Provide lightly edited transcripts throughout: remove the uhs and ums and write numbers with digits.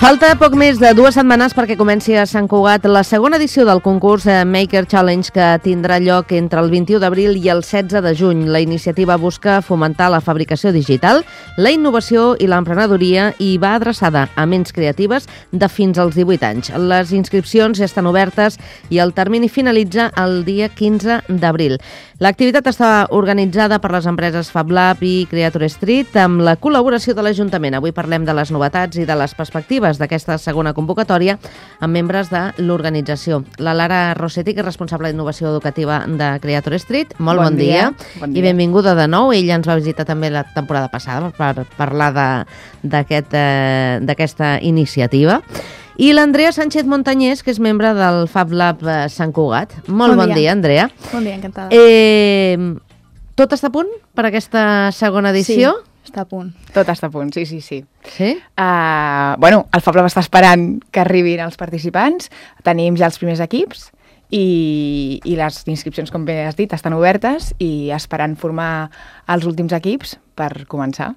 Falta poc més de 2 setmanes perquè comenci a Sant Cugat la segona edició del concurs Maker Challenge, que tindrà lloc entre el 21 d'abril i el 16 de juny. La iniciativa busca fomentar la fabricació digital, la innovació i l'emprenedoria i va adreçada a ments creatives de fins als 18 anys. Les inscripcions ja estan obertes i el termini finalitza el dia 15 d'abril. L'activitat està organitzada per les empreses FabLab i Creator Street amb la col·laboració de l'Ajuntament. Avui parlem de les novetats i de les perspectives d'aquesta segona convocatòria amb membres de l'organització. La Lara Rossetti, que és responsable d'innovació educativa de Creator Street. Molt bon dia. I benvinguda de nou. Ella ens va visitar també la temporada passada per parlar d'aquesta iniciativa. I l'Andrea Sánchez Montañés, que és membre del FabLab Sant Cugat. Molt bon dia, Andrea. Bon dia, encantada. Tot està a punt per aquesta segona edició? Sí, està a punt. Tot està a punt, sí. Sí? El FabLab està esperant que arribin els participants. Tenim ja els primers equips i les inscripcions, com bé has dit, estan obertes i esperant formar els últims equips per començar.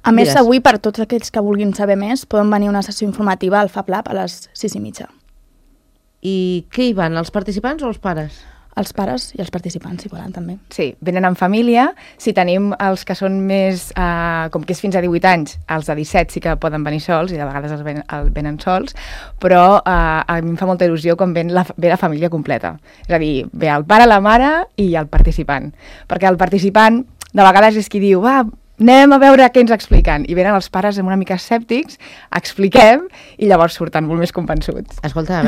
A més, avui, per tots aquells que vulguin saber més, poden venir a una sessió informativa al FabLab a les 6:30. I què hi van, els participants o els pares? Els pares i els participants, si volen, també. Sí, venen en família. Si tenim els que són més, com que és fins a 18 anys, els de 17 sí que poden venir sols, i de vegades venen sols, però a mi em fa molta il·lusió quan ve la família completa. És a dir, ve el pare, la mare i el participant. Perquè el participant, de vegades és qui diu, anem a veure què ens expliquen. I venen els pares una mica escèptics, expliquem, i llavors surten molt més convençuts. Escolta, a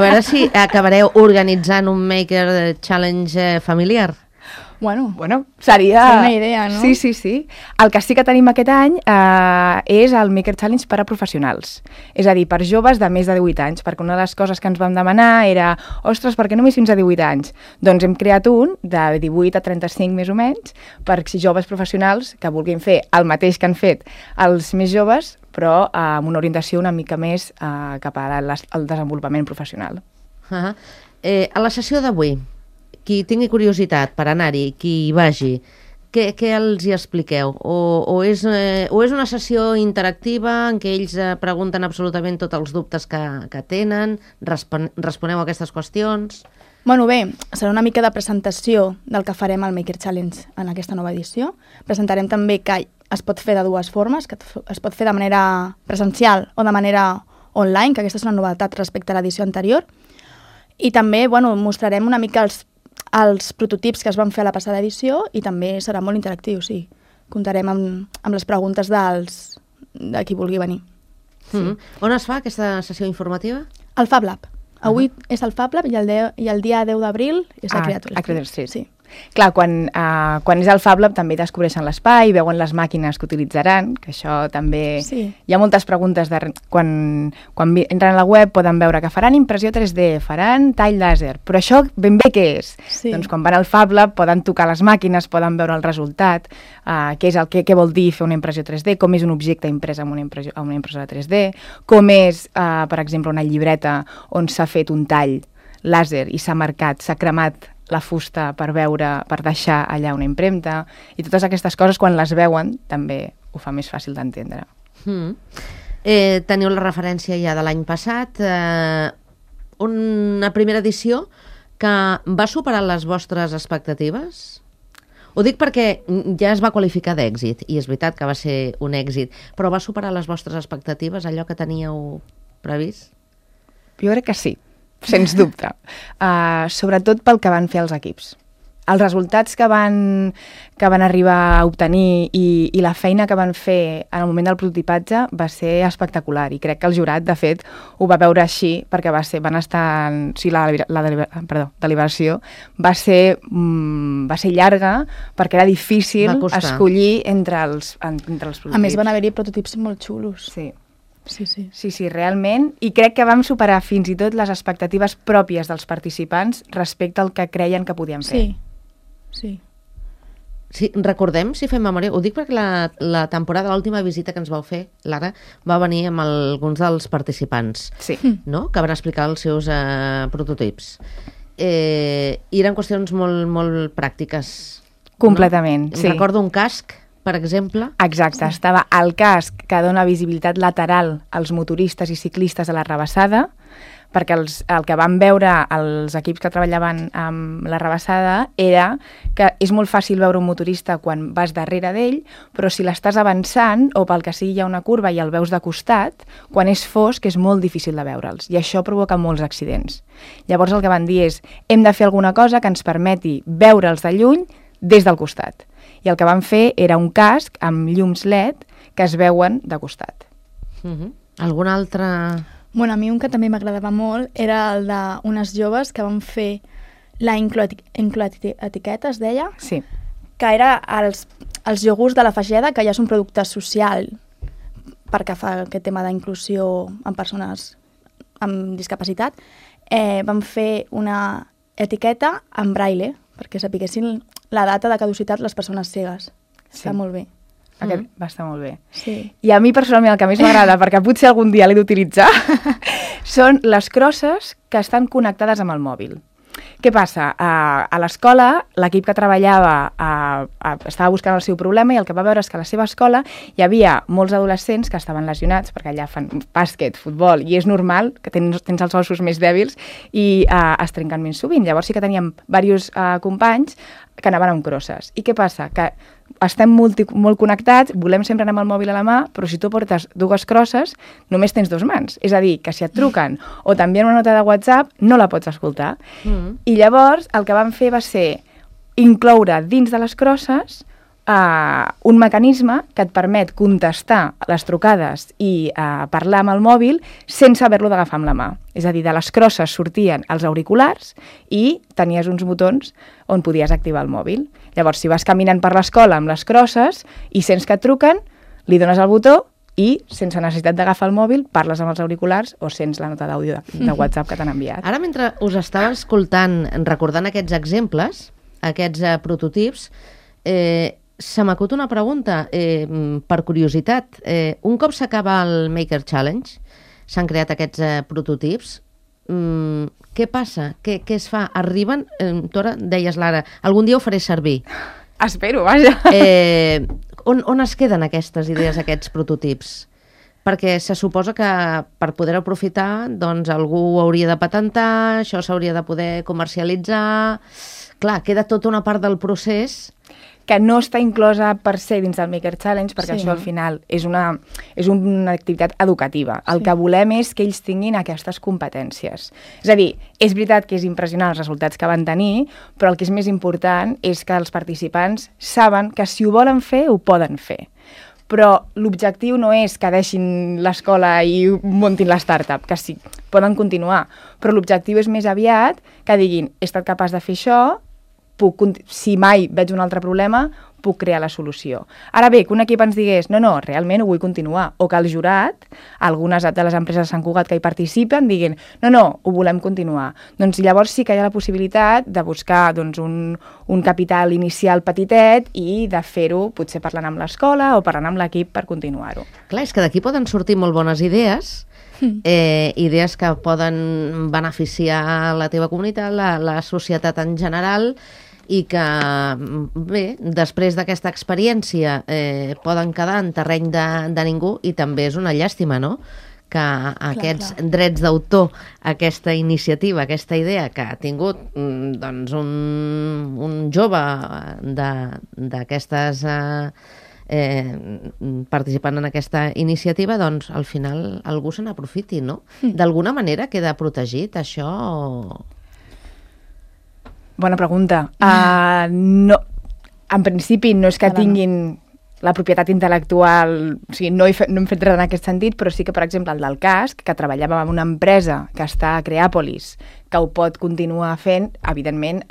veure si acabareu organitzant un Maker Challenge familiar. Bueno, seria una idea, no? Sí. El que sí que tenim aquest any és el Maker Challenge per a professionals. És a dir, per joves de més de 18 anys, perquè una de les coses que ens vam demanar era ostres, per què només fins a 18 anys? Doncs hem creat un de 18 a 35 més o menys, per joves professionals que vulguin fer el mateix que han fet els més joves, però amb una orientació una mica més cap al desenvolupament professional. A la sessió d'avui, qui tingui curiositat per anar-hi, qui hi vagi, què els hi expliqueu? O és una sessió interactiva en què ells pregunten absolutament tots els dubtes que tenen, responeu a aquestes qüestions? Bé, serà una mica de presentació del que farem al Maker Challenge en aquesta nova edició. Presentarem també que es pot fer de dues formes, que es pot fer de manera presencial o de manera online, que aquesta és una novetat respecte a l'edició anterior. I també mostrarem una mica els prototips que es van fer a la passada edició i també serà molt interactiu, sí. Comptarem amb les preguntes de qui vulgui venir. On es fa aquesta sessió informativa? Al FabLab. Avui és el FabLab i el dia 10 d'abril és a Creator Street. Sí. Clar, quan és el FabLab també descobreixen l'espai, veuen les màquines que utilitzaran, que això també... Sí. Hi ha moltes preguntes quan entren a la web poden veure que faran impressió 3D, faran tall làser, però això ben bé què és? Sí. Doncs quan van al FabLab poden tocar les màquines, poden veure el resultat, què vol dir fer una impressió 3D, com és un objecte imprès amb una impressora 3D, com és, per exemple, una llibreta on s'ha fet un tall làser i s'ha marcat, s'ha cremat la fusta per deixar allà una impremta, i totes aquestes coses quan les veuen també ho fa més fàcil d'entendre. Teniu la referència ja de l'any passat, una primera edició que va superar les vostres expectatives? Ho dic perquè ja es va qualificar d'èxit, i és veritat que va ser un èxit, però va superar les vostres expectatives, allò que teníeu previst? Jo crec que sí. Sens dubte. Sobretot pel que van fer els equips. Els resultats que van arribar a obtenir i la feina que van fer en el moment del prototipatge va ser espectacular, i crec que el jurat, de fet, ho va veure així, perquè van estar... la deliberació va ser llarga, perquè era difícil escollir entre els prototips. A més, van haver-hi prototips molt xulos. Sí. Sí, realment, i crec que vam superar fins i tot les expectatives pròpies dels participants respecte al que creien que podien fer. Sí. Sí, recordem, si fem memòria, ho dic perquè la temporada, l'última visita que ens vau fer, Lara, va venir amb alguns dels participants, no? Que van explicar els seus prototips. I eren qüestions molt, molt pràctiques. Completament, no? Sí. Recordo un casc per exemple? Exacte, estava el casc que dona visibilitat lateral als motoristes i ciclistes a la rebassada, perquè el que van veure els equips que treballaven amb la rebassada era que és molt fàcil veure un motorista quan vas darrere d'ell, però si l'estàs avançant o pel que sigui hi ha una curva i el veus de costat, quan és fosc és molt difícil de veure'ls i això provoca molts accidents. Llavors el que van dir és hem de fer alguna cosa que ens permeti veure'ls de lluny des del costat. I el que van fer era un casc amb llums LED que es veuen de costat. Algun altre... Bueno, a mi un que també m'agradava molt era el d'unes joves que van fer la incloetiqueta, es deia? Sí. Que era els iogurts de la Fageda, que ja és un producte social perquè fa aquest tema d'inclusió en persones amb discapacitat. Van fer una etiqueta en braille, perquè sapiguessin la data de caducitat les persones cegues. Sí. Està molt bé. Aquest va estar molt bé. Sí. I a mi personalment el que més m'agrada, perquè potser algun dia l'he d'utilitzar, són les crosses que estan connectades amb el mòbil. Què passa? A l'escola, l'equip que treballava estava buscant el seu problema i el que va veure és que a la seva escola hi havia molts adolescents que estaven lesionats, perquè allà fan bàsquet, futbol, i és normal que tens els ossos més dèbils i es trenquen més sovint. Llavors sí que teníem diversos companys que anaven amb crosses. I què passa? Que estem molt connectats, volem sempre anar amb el mòbil a la mà, però si tu portes dues crosses, només tens dues mans. És a dir, que si et truquen o t'envien una nota de WhatsApp, no la pots escoltar. I llavors el que vam fer va ser incloure dins de les crosses un mecanisme que et permet contestar les trucades i parlar amb el mòbil sense haver-lo d'agafar amb la mà. És a dir, de les crosses sortien els auriculars i tenies uns botons on podies activar el mòbil. Llavors, si vas caminant per l'escola amb les crosses i sents que et truquen, li dones el botó i, sense necessitat d'agafar el mòbil, parles amb els auriculars o sents la nota d'àudio de WhatsApp que t'han enviat. Ara, mentre us estava escoltant, recordant aquests exemples, aquests prototips, se m'acut una pregunta, per curiositat. Un cop s'acaba el Maker Challenge, s'han creat aquests prototips, què passa? Què es fa? Arriben, tu ara deies, Lara, algun dia ho faré servir. Espero, vaja. On es queden aquestes idees, aquests prototips? Perquè se suposa que per poder aprofitar, doncs algú ho hauria de patentar, això s'hauria de poder comercialitzar... Clar, queda tota una part del procés que no està inclosa per se dins del Maker Challenge, perquè això al final és una activitat educativa. El que volem és que ells tinguin aquestes competències. És a dir, és veritat que és impressionant els resultats que van tenir, però el que és més important és que els participants saben que si ho volen fer, ho poden fer. Però l'objectiu no és que deixin l'escola i muntin la startup, que sí, poden continuar. Però l'objectiu és més aviat que diguin, he estat capaç de fer això, si mai veig un altre problema, puc crear la solució. Ara bé, que un equip ens digués, no, realment ho vull continuar, o que el jurat, algunes de les empreses de Sant Cugat que hi participen, diguin, no, ho volem continuar. Doncs llavors sí que hi ha la possibilitat de buscar un capital inicial petitet i de fer-ho potser parlant amb l'escola o parlant amb l'equip per continuar-ho. Clar, és que d'aquí poden sortir molt bones idees, idees que poden beneficiar la teva comunitat, la societat en general, i que, bé, després d'aquesta experiència poden quedar en terreny de ningú, i també és una llàstima, no?, que aquests drets d'autor, aquesta iniciativa, aquesta idea que ha tingut doncs un jove d'aquestes participant en aquesta iniciativa, doncs al final algú se n'aprofiti, no? D'alguna manera queda protegit això? Bona pregunta. No, en principi no és que tinguin la propietat intel·lectual, o sigui, no hem fet res en aquest sentit, però sí que, per exemple, el del casc, que treballàvem amb una empresa que està a Creàpolis, que ho pot continuar fent, evidentment,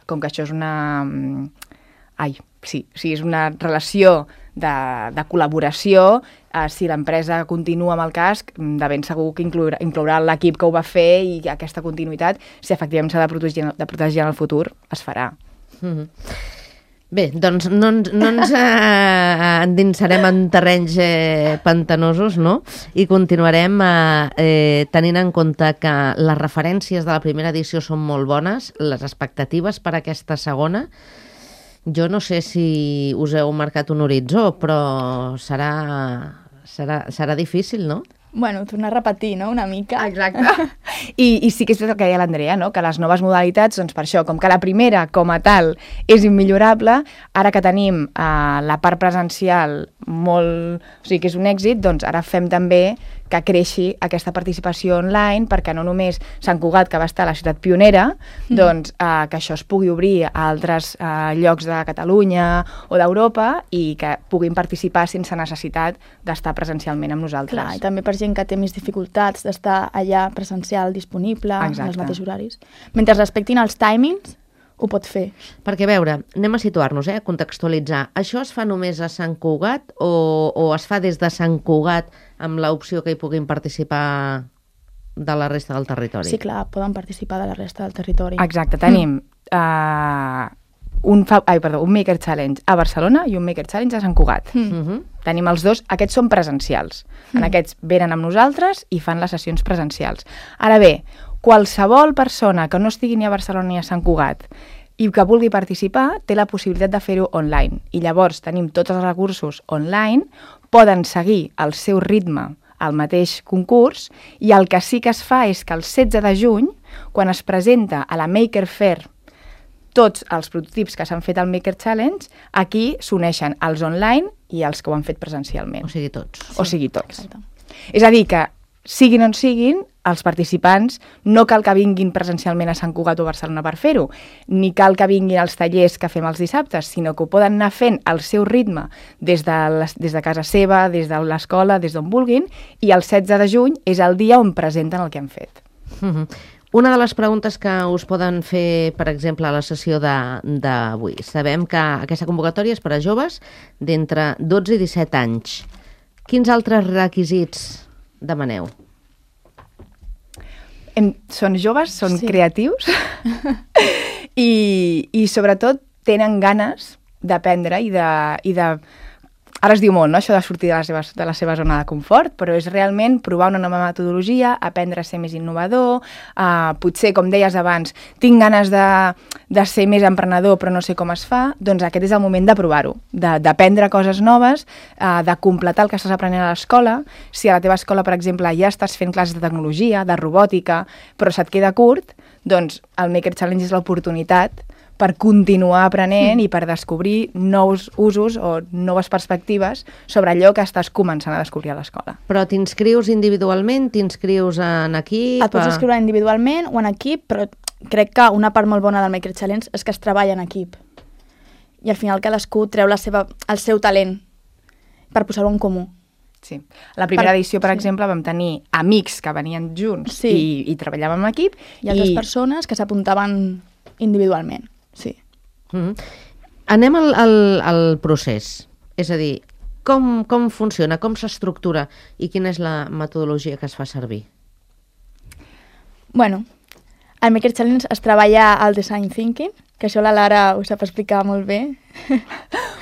com que això és és una relació de col·laboració, si l'empresa continua amb el casc, de ben segur que inclourà l'equip que ho va fer i aquesta continuïtat, si efectivament s'ha de protegir en el futur, es farà. Bé, doncs no ens endinsarem en terrenys pantanosos, no? I continuarem tenint en compte que les referències de la primera edició són molt bones, les expectatives per a aquesta segona, Jo no sé si us heu marcat un horitzó, però serà difícil, no? Bueno, tornar a repetir, no?, una mica. Exacte. I sí que és el que deia l'Andrea, no?, que les noves modalitats, doncs per això, com que la primera, com a tal, és immillorable, ara que tenim la part presencial molt... O sigui, que és un èxit, doncs ara fem també que creixi aquesta participació online, perquè no només Sant Cugat, que va estar a la ciutat pionera, doncs que això es pugui obrir a altres llocs de Catalunya o d'Europa i que puguin participar sense necessitat d'estar presencialment amb nosaltres. Clar, i també per gent que té més dificultats d'estar allà presencial disponible en els mateixos horaris. Mentre respectin els timings, ho pot fer. Perquè, a veure, anem a situar-nos, a contextualitzar. Això es fa només a Sant Cugat o es fa des de Sant Cugat amb l'opció que hi puguin participar de la resta del territori? Sí, clar, poden participar de la resta del territori. Exacte, tenim un Maker Challenge a Barcelona i un Maker Challenge a Sant Cugat. Tenim els dos, aquests són presencials. En aquests venen amb nosaltres i fan les sessions presencials. Ara bé, qualsevol persona que no estigui ni a Barcelona ni a Sant Cugat i que vulgui participar té la possibilitat de fer-ho online. I llavors tenim tots els recursos online, poden seguir el seu ritme al mateix concurs i el que sí que es fa és que el 16 de juny, quan es presenta a la Maker Faire tots els prototips que s'han fet al Maker Challenge, aquí s'uneixen els online i els que ho han fet presencialment. O sigui, tots. O sigui, tots. Exacte. És a dir, que siguin on siguin, els participants no cal que vinguin presencialment a Sant Cugat o Barcelona per fer-ho, ni cal que vinguin als tallers que fem els dissabtes, sinó que ho poden anar fent al seu ritme des de casa seva, des de l'escola, des d'on vulguin, i el 16 de juny és el dia on presenten el que han fet. Una de les preguntes que us poden fer, per exemple, a la sessió d'avui. Sabem que aquesta convocatòria és per a joves d'entre 12 i 17 anys. Quins altres requisits demaneu? Són joves, són creatius i sobretot tenen ganes d'aprendre i de... Ara es diu molt, no?, això de sortir de la seva zona de confort, però és realment provar una nova metodologia, aprendre a ser més innovador, potser, com deies abans, tinc ganes de ser més emprenedor però no sé com es fa, doncs aquest és el moment de provar-ho, d'aprendre coses noves, de completar el que estàs aprenent a l'escola. Si a la teva escola, per exemple, ja estàs fent classes de tecnologia, de robòtica, però se't queda curt, doncs el Maker Challenge és l'oportunitat per continuar aprenent i per descobrir nous usos o noves perspectives sobre allò que estàs començant a descobrir a l'escola. Però t'inscrius individualment? T'inscrius en equip? Et pots inscriure individualment o en equip, però crec que una part molt bona del Maker Challenge és que es treballa en equip. I al final cadascú treu el seu talent per posar-ho en comú. Sí. La primera edició, per exemple, vam tenir amics que venien junts i treballàvem en equip. I altres persones que s'apuntaven individualment. Sí. Anem al procés. És a dir, com funciona, com s'estructura i quina és la metodologia que es fa servir? Bueno, al Maker Challenge es treballa el Design Thinking, que això la Lara ho sap explicar molt bé,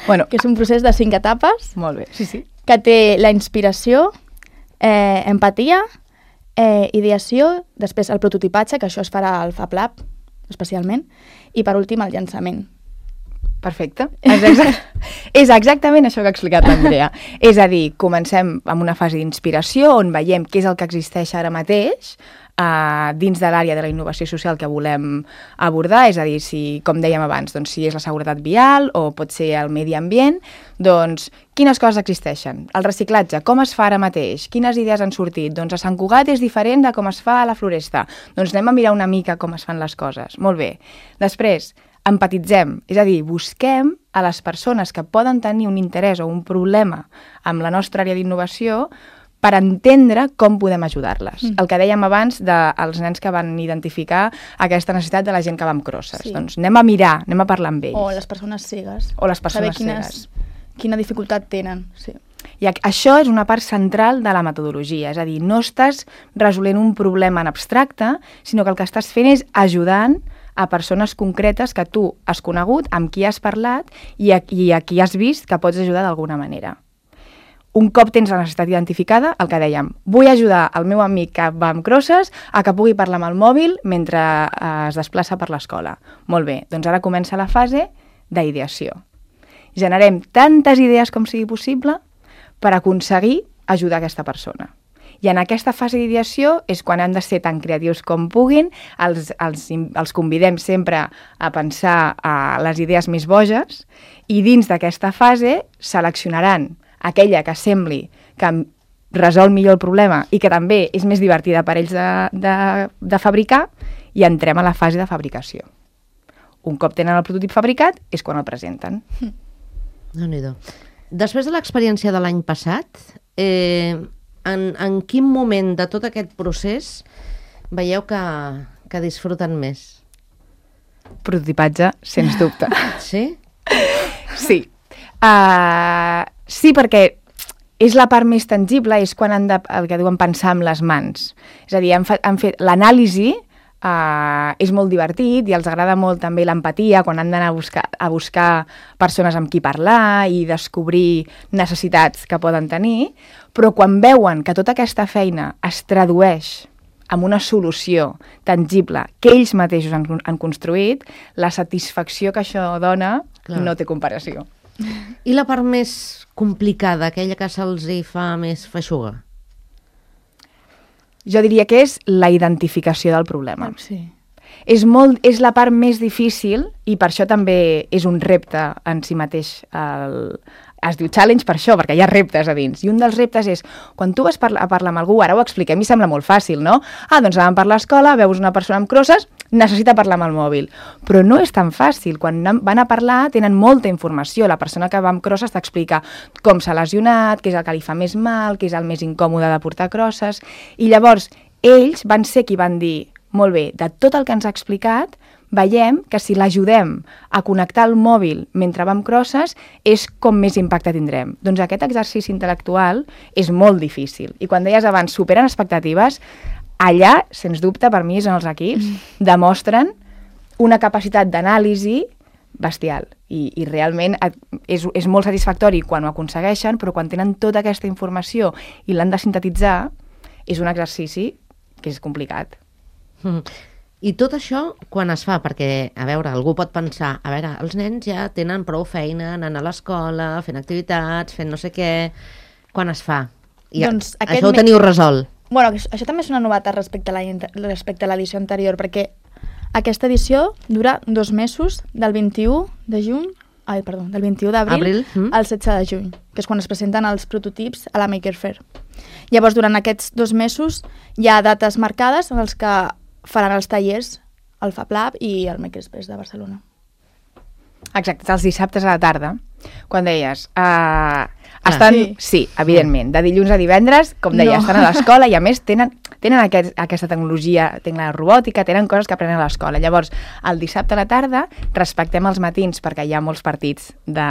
que és un procés de 5 etapes. Molt bé, sí. Que té la inspiració, empatia, ideació, després el prototipatge, que això es farà al Fab Lab, especialment, i per últim el llançament. Perfecte. És exactament això que ha explicat l'Andrea. És a dir, comencem amb una fase d'inspiració on veiem què és el que existeix ara mateix dins de l'àrea de la innovació social que volem abordar, és a dir, si, com dèiem abans, doncs, si és la seguretat vial o pot ser el medi ambient, doncs quines coses existeixen? El reciclatge, com es fa ara mateix? Quines idees han sortit? Doncs a Sant Cugat és diferent de com es fa a la Floresta. Doncs anem a mirar una mica com es fan les coses. Molt bé. Després, empatitzem, és a dir, busquem a les persones que poden tenir un interès o un problema amb la nostra àrea d'innovació per entendre com podem ajudar-les. El que dèiem abans dels nens que van identificar aquesta necessitat de la gent que va amb crosses. Sí. Doncs anem a mirar, anem a parlar amb ells. O les persones cegues. O les persones cegues. Quina dificultat tenen, sí. I això és una part central de la metodologia, és a dir, no estàs resolent un problema en abstracte, sinó que el que estàs fent és ajudant a persones concretes que tu has conegut, amb qui has parlat i a qui has vist que pots ajudar d'alguna manera. Un cop tens la necessitat identificada, el que dèiem, vull ajudar el meu amic que va amb crosses a que pugui parlar amb el mòbil mentre es desplaça per l'escola. Molt bé, doncs ara comença la fase d'ideació. Generem tantes idees com sigui possible per aconseguir ajudar aquesta persona. I en aquesta fase d'ideació és quan han de ser tan creatius com puguin, els convidem sempre a pensar a les idees més boges i dins d'aquesta fase seleccionaran aquella que sembli que resol millor el problema i que també és més divertida per ells de fabricar i entrem a la fase de fabricació. Un cop tenen el prototip fabricat és quan el presenten. Déu-n'hi-do. Després de l'experiència de l'any passat, en quin moment de tot aquest procés veieu que disfruten més? Prototipatge, sens dubte. Sí? Sí. Sí, perquè és la part més tangible, és quan han de, el que diuen, pensar amb les mans. És a dir, han fet l'anàlisi, és molt divertit i els agrada molt també l'empatia quan han d'anar a buscar persones amb qui parlar i descobrir necessitats que poden tenir, però quan veuen que tota aquesta feina es tradueix en una solució tangible que ells mateixos han construït, la satisfacció que això dona no té comparació. I la part més complicada, aquella que se'ls hi fa més feixuga? Jo diria que és la identificació del problema. Sí. És la part més difícil i per això també és un repte en si mateix. Es diu challenge per això, perquè hi ha reptes a dins. I un dels reptes és, quan tu vas a parlar amb algú, ara ho expliquem i sembla molt fàcil, no? Doncs anàvem per l'escola, veus una persona amb crosses, necessita parlar amb el mòbil. Però no és tan fàcil. Quan van a parlar tenen molta informació. La persona que va amb crosses t'explica com s'ha lesionat, què és el que li fa més mal, què és el més incòmode de portar crosses. I llavors ells van ser qui van dir, molt bé, de tot el que ens ha explicat, veiem que si l'ajudem a connectar el mòbil mentre va amb crosses és com més impacte tindrem. Doncs aquest exercici intel·lectual és molt difícil. I quan deies abans, superen expectatives, allà, sens dubte, per mi és on els equips demostren una capacitat d'anàlisi bestial. I realment és molt satisfactori quan ho aconsegueixen, però quan tenen tota aquesta informació i l'han de sintetitzar, és un exercici que és complicat. I tot això, quan es fa? Perquè, a veure, algú pot pensar, a veure, els nens ja tenen prou feina anant a l'escola, fent activitats, fent no sé què... Quan es fa? Doncs això ho teniu resolt. Bueno, això també és una novetat respecte a l'edició anterior, perquè aquesta edició dura 2 mesos, del 21 de juny, del 21 d'abril al 16 de juny, que és quan es presenten els prototips a la Maker Faire. Llavors, durant aquests 2 mesos hi ha dates marcades en els que faran els tallers al Fab Lab i al Makerspace de Barcelona. Exacte, els dissabtes a la tarda, quan deies... Sí, evidentment, de dilluns a divendres, com deia, estan a l'escola i a més tenen aquesta tecnologia, tenen la robòtica, tenen coses que aprenen a l'escola. Llavors, el dissabte a la tarda respectem els matins perquè hi ha molts partits de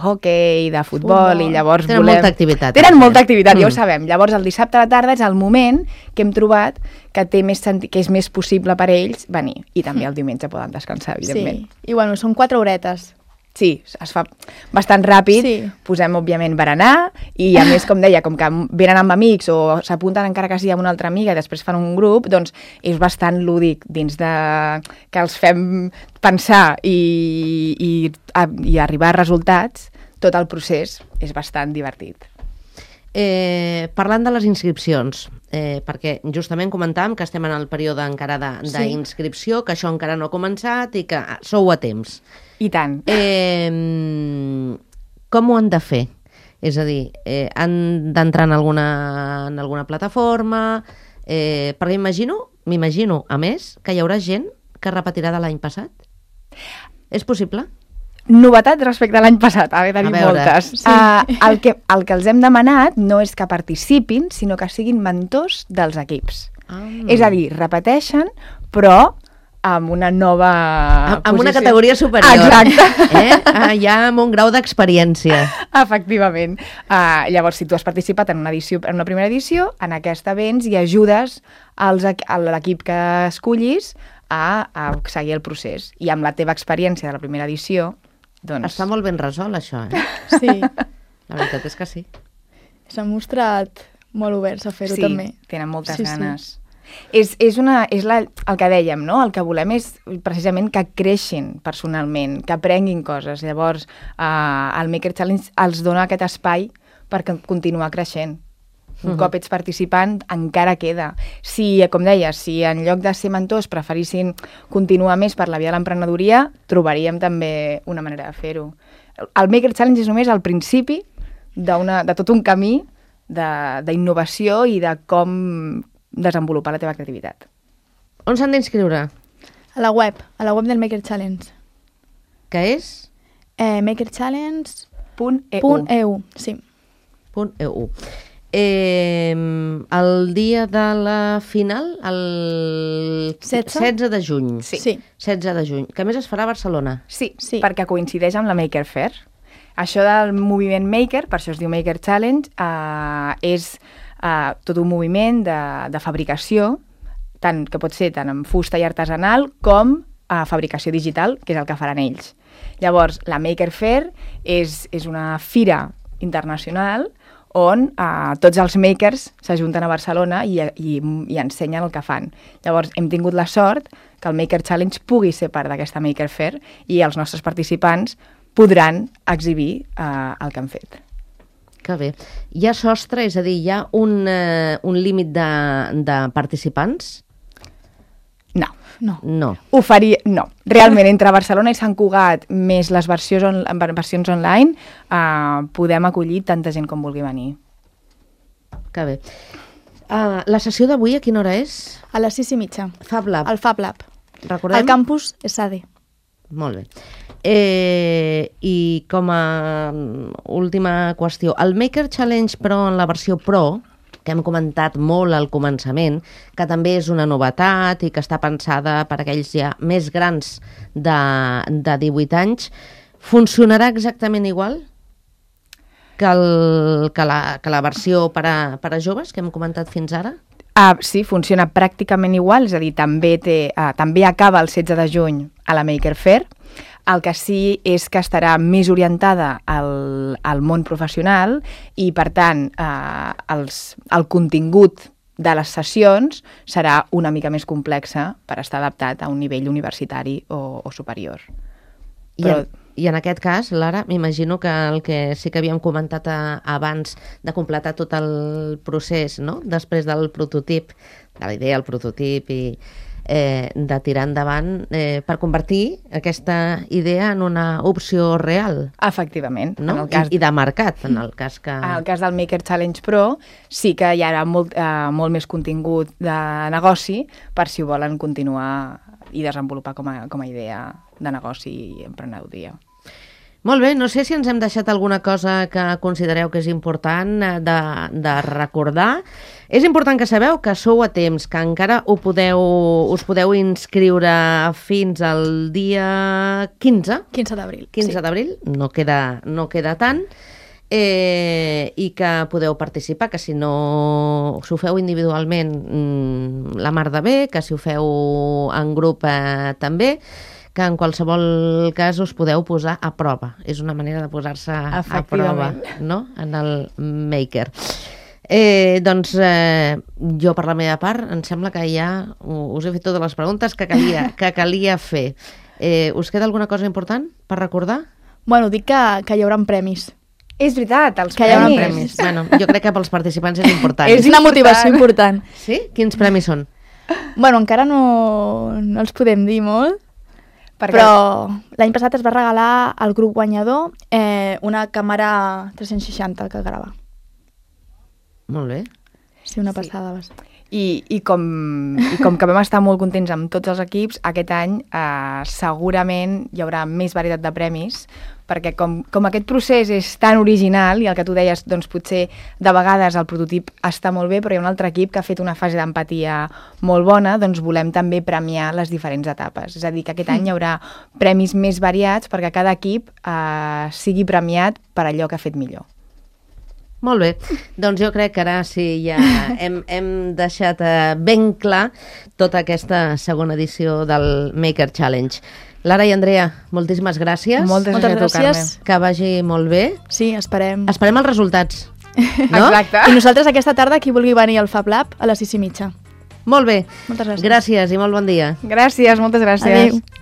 hoquei, de futbol i llavors tenen molta activitat. Tenen molta activitat, ja ho sabem. Llavors, el dissabte a la tarda és el moment que hem trobat que és més possible per ells venir. I també el diumenge poden descansar, evidentment. Sí, i bueno, són 4 horetes. Sí, es fa bastant ràpid, posem, òbviament, berenar, i a més, com deia, com que venen amb amics o s'apunten encara que sigui amb una altra amiga i després fan un grup, doncs és bastant lúdic dins de que els fem pensar i arribar a resultats, tot el procés és bastant divertit. Parlant de les inscripcions, perquè justament comentàvem que estem en el període encara d'inscripció, que això encara no ha començat i que sou a temps. I tant. Com ho han de fer? És a dir, han d'entrar en alguna plataforma? Perquè m'imagino, a més, que hi haurà gent que repetirà de l'any passat. És possible? Novetat respecte a l'any passat, ha d'haver moltes. Sí. El que els hem demanat no és que participin, sinó que siguin mentors dels equips. És a dir, repeteixen, però amb una nova posició. Amb una categoria superior. Exacte. Ja amb un grau d'experiència. Efectivament. Llavors, si tu has participat en una primera edició, en aquesta vens i ajudes a l'equip que escollis a seguir el procés. I amb la teva experiència de la primera edició, doncs... Està molt ben resolt, això, Sí. La veritat és que sí. S'han mostrat molt oberts a fer-ho també. Sí, tenen moltes ganes. És el que dèiem, no? El que volem és precisament que creixin personalment, que aprenguin coses. Llavors, el Maker Challenge els dona aquest espai per continuar creixent. Un cop ets participant, encara queda. Si, com deies, si en lloc de ser mentors preferissin continuar més per la via de l'emprenedoria, trobaríem també una manera de fer-ho. El Maker Challenge és només el principi de tot un camí d'innovació i de com desenvolupar la teva creativitat. On s'han d'inscriure? A la web del Maker Challenge. Que és? makerchallenge.eu, sí. .eu. El dia de la final, el 16 de juny. Sí. 16 de juny, que a més es farà a Barcelona. Sí, perquè coincideix amb la Maker Faire. Això del moviment Maker, per això es diu Maker Challenge, és tot un moviment de fabricació, que pot ser tant en fusta i artesanal com fabricació digital, que és el que faran ells. Llavors, la Maker Faire és una fira internacional on tots els makers s'ajunten a Barcelona i ensenyen el que fan. Llavors, hem tingut la sort que el Maker Challenge pugui ser part d'aquesta Maker Faire i els nostres participants podran exhibir el que han fet. Que bé. Hi ha sostre, és a dir, hi ha un límit de participants? No. No. Realment, entre Barcelona i Sant Cugat, més les versions online, podem acollir tanta gent com vulgui venir. Que bé. La sessió d'avui a quina hora és? A les 6:30. Fab Lab. Al Fab Lab. Recordem? Al campus SAD. Molt bé. I com a última qüestió, el Maker Challenge, però en la versió Pro, que hem comentat molt al començament, que també és una novetat i que està pensada per aquells ja més grans de 18 anys, funcionarà exactament igual que la versió per a joves que hem comentat fins ara? Sí, funciona pràcticament igual, és a dir, també acaba el 16 de juny a la Maker Faire. El que sí és que estarà més orientada al món professional i, per tant, el contingut de les sessions serà una mica més complexa per estar adaptat a un nivell universitari o superior. I en aquest cas, Lara, m'imagino que el que sí que havíem comentat abans de completar tot el procés, no? Després del prototip, de la idea, el prototip i de tirar endavant per convertir aquesta idea en una opció real. Efectivament. No? I de mercat, en el cas que... En el cas del Maker Challenge Pro sí que hi haurà molt més contingut de negoci per si ho volen continuar i desenvolupar com a idea de negoci i emprenedoria. Molt bé, no sé si ens hem deixat alguna cosa que considereu que és important de recordar. És important que sabeu que sou a temps, que encara us podeu inscriure fins al dia 15. 15 d'abril. 15 d'abril, no queda tant. I que podeu participar, que si ho feu individualment la mar de bé, que si ho feu en grup també, que en qualsevol cas us podeu posar a prova. És una manera de posar-se a prova, no?, en el Maker. Doncs jo, per la meva part, em sembla que ja us he fet totes les preguntes que calia fer. Us queda alguna cosa important per recordar? Bueno, dic que hi haurà premis. És veritat, els que premis. Hi haurà premis. Bueno, jo crec que pels participants és important. És una motivació important. Sí? Quins premis són? Bueno, encara no els podem dir molt, però l'any passat es va regalar al grup guanyador una càmera 360 que grava. Molt bé. Sí, una passada. Sí. I com que vam estar molt contents amb tots els equips, aquest any segurament hi haurà més varietat de premis, perquè com aquest procés és tan original i el que tu deies, doncs potser de vegades el prototip està molt bé, però hi ha un altre equip que ha fet una fase d'empatia molt bona, doncs volem també premiar les diferents etapes. És a dir, que aquest any hi haurà premis més variats perquè cada equip sigui premiat per allò que ha fet millor. Molt bé, doncs jo crec que ara sí ja hem deixat ben clar tota aquesta segona edició del Maker Challenge. Lara i Andrea, moltíssimes gràcies. Moltes gràcies. Que vagi molt bé. Sí, esperem. Esperem els resultats. No? Exacte. I nosaltres aquesta tarda, qui vulgui venir al Fab Lab, a les 6:30. Molt bé. Moltes gràcies. Gràcies i molt bon dia. Gràcies, moltes gràcies. Adéu.